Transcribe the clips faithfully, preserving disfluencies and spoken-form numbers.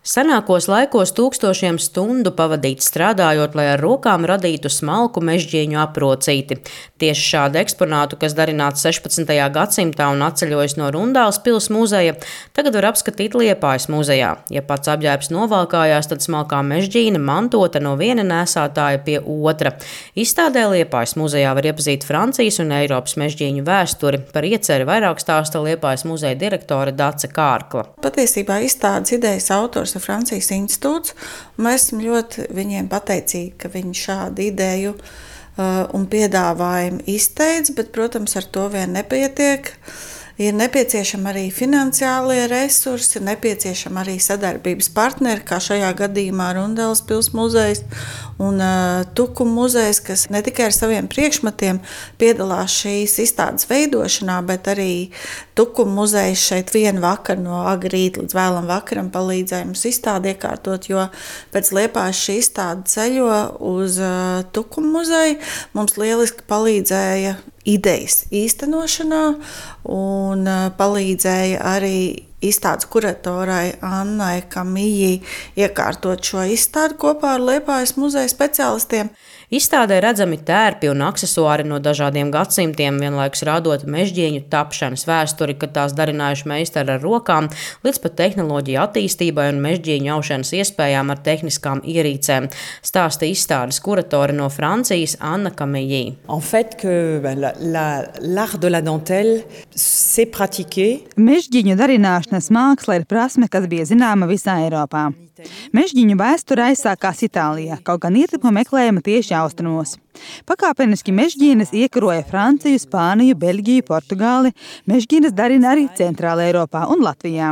Senākos laikos tūkstošiem stundu pavadīts strādājot, lai ar rokām radītu smalku mežģīņu aprocīti. Tieši šādu eksponātu, kas darināts sešpadsmitajā gadsimtā un atceļojis no Rundāles pils muzeja, tagad var apskatīt Liepājas muzejā. Ja pats apģērbs novalkājās, tad smalkā mežģīne mantota no viena nēsātāja pie otra. Izstādē Liepājas muzejā var iepazīt Francijas un Eiropas mežģīņu vēsturi. Par ieceri vairāk stāsta Liepājas muzeja direktore Dace Kārkla. Patiesībā izstādes idejas autors ir Francijas institūts. Mēs esam ļoti viņiem pateicīgi, ka viņi šādu ideju uh, un piedāvājumu izteica, bet, protams, ar to vien nepietiek. Ir nepieciešami arī finansiālie resursi, ir nepieciešami arī sadarbības partneri, kā šajā gadījumā Rundāles pils muzejs un uh, Tukuma muzejs, kas ne tikai ar saviem priekšmetiem piedalās šīs izstādes veidošanā, bet arī Tukuma muzejs šeit vienu vakaru no agri rīta līdz vēlam vakaram palīdzēja mums izstādi iekārtot, jo pēc Liepājas šī izstāde ceļo uz uh, Tukuma muzeju. Mums lieliski palīdzēja idejas īstenošanā un uh, palīdzēja arī izstādes kuratorai Annai Kamijai iekārtot šo izstādi kopā ar Liepājas muzeja speciālistiem. Izstādē redzami tērpi un aksesuāri no dažādiem gadsimtiem, vienlaikus rādot mežģīņu tapšanas vēsturi, kad tās darinājuši meistari ar rokām, līdz pat tehnoloģiju attīstībai un mežģīņu aušanas iespējām ar tehniskām ierīcēm, stāsta izstādes kuratore no Francijas Anna Kamijai. En fait, que la, la, l'art de la dentelle s'est pratiqué. Mežģīņu darināšanas māksla ir prasme, kas bija zināma visā Eiropā. Mežģīņu vēsture aizsākās Itālijā, kaut gan ietekme meklējama tieši austrumos. Pakāpeniski mežģīnes iekaroja Franciju, Spāniju, Beļģiju, Portugāli. Mežģīnes darina arī Centrāla Eiropā un Latvijā.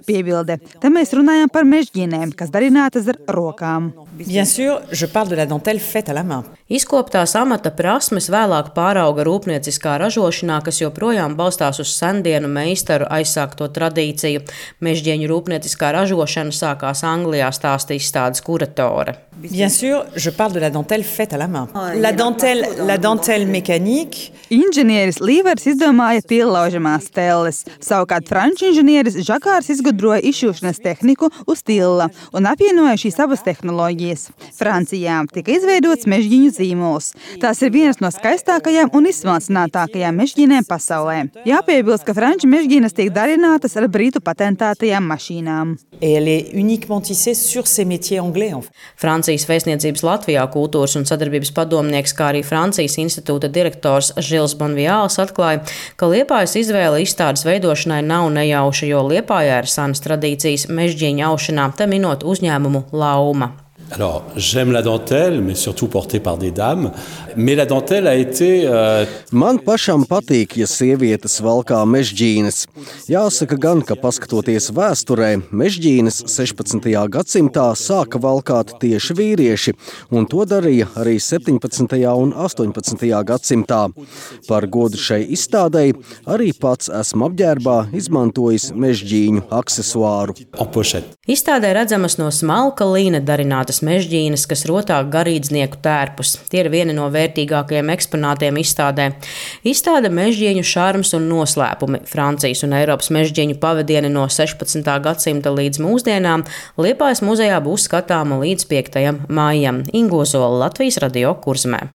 Piebilde, te mēs runājam par mežģīnēm, kas darinātas ar rokām. Bien sûr, je parle de la dentelle faite à la main. Izkoptās amata prasmes vēlāk pārauga rūpnieciskā ražošanā, kas joprojām balstās uz sendienu meistaru aizsākto tradīciju. Mežģīņu rūpnieciskā ražošana sākās Anglijā, stāsta izstādes kuratore. Bien sûr, je parle de la dentelle faite à la main. La dentelle, la dentelle mécanique. Inženieris Līvers izdomāja tillaužamās telles. Savukārt franču inženieris Žakārs izgudroja izšūšanas tehniku uz tilla un apvienoja šīs abas tehnoloģijas. Francijā tika izveidots mežģīņu zīmols. Tās ir vienas no skaistākajām un izsmalcinātākajām mežģīnēm pasaulē. Jāpiebilst, ka franču mežģīnes tiek darinātas ar britu patentētajām mašīnām. Et elle est uniquement tissée sur ces métiers anglais. Francijas vēstniecības Latvijā kultūras un sadarbības padomnieks, kā arī Francijas institūta direktors Žils Bonviāls atklāja, ka Liepājas izvēle izstādes veidošanai nav nejauša, jo Liepājā ir senas tradīcijas mežģīņu aušanā, te minot uzņēmumu Lauma. Alors, j'aime la dentelle, mais surtout portée par des dames. Mais la dentelle a été... Euh... Man pašam patīk, ja sievietes valkā mežģīnes. Jāsaka gan, ka paskatoties vēsturē, mežģīnes sešpadsmitajā gadsimtā sāka valkāt tieši vīrieši, un to darīja arī septiņpadsmitajā un astoņpadsmitajā gadsimtā. Par godu šai izstādei arī pats esmu apģērbā izmantojis mežģīņu aksesuāru. Izstādē redzamas no smalka līna darinātas mežģīnes, kas rotā garīdznieku tērpus. Tie ir vieni no vērtīgākajiem eksponātiem izstādē. Izstāde mežģīņu šarms un noslēpumi. Francijas un Eiropas mežģīņu pavadieni no sešpadsmitā gadsimta līdz mūsdienām Liepājas muzejā būs skatāma līdz piektajam maijam. Ingo Zola, Latvijas radio Kurzemē.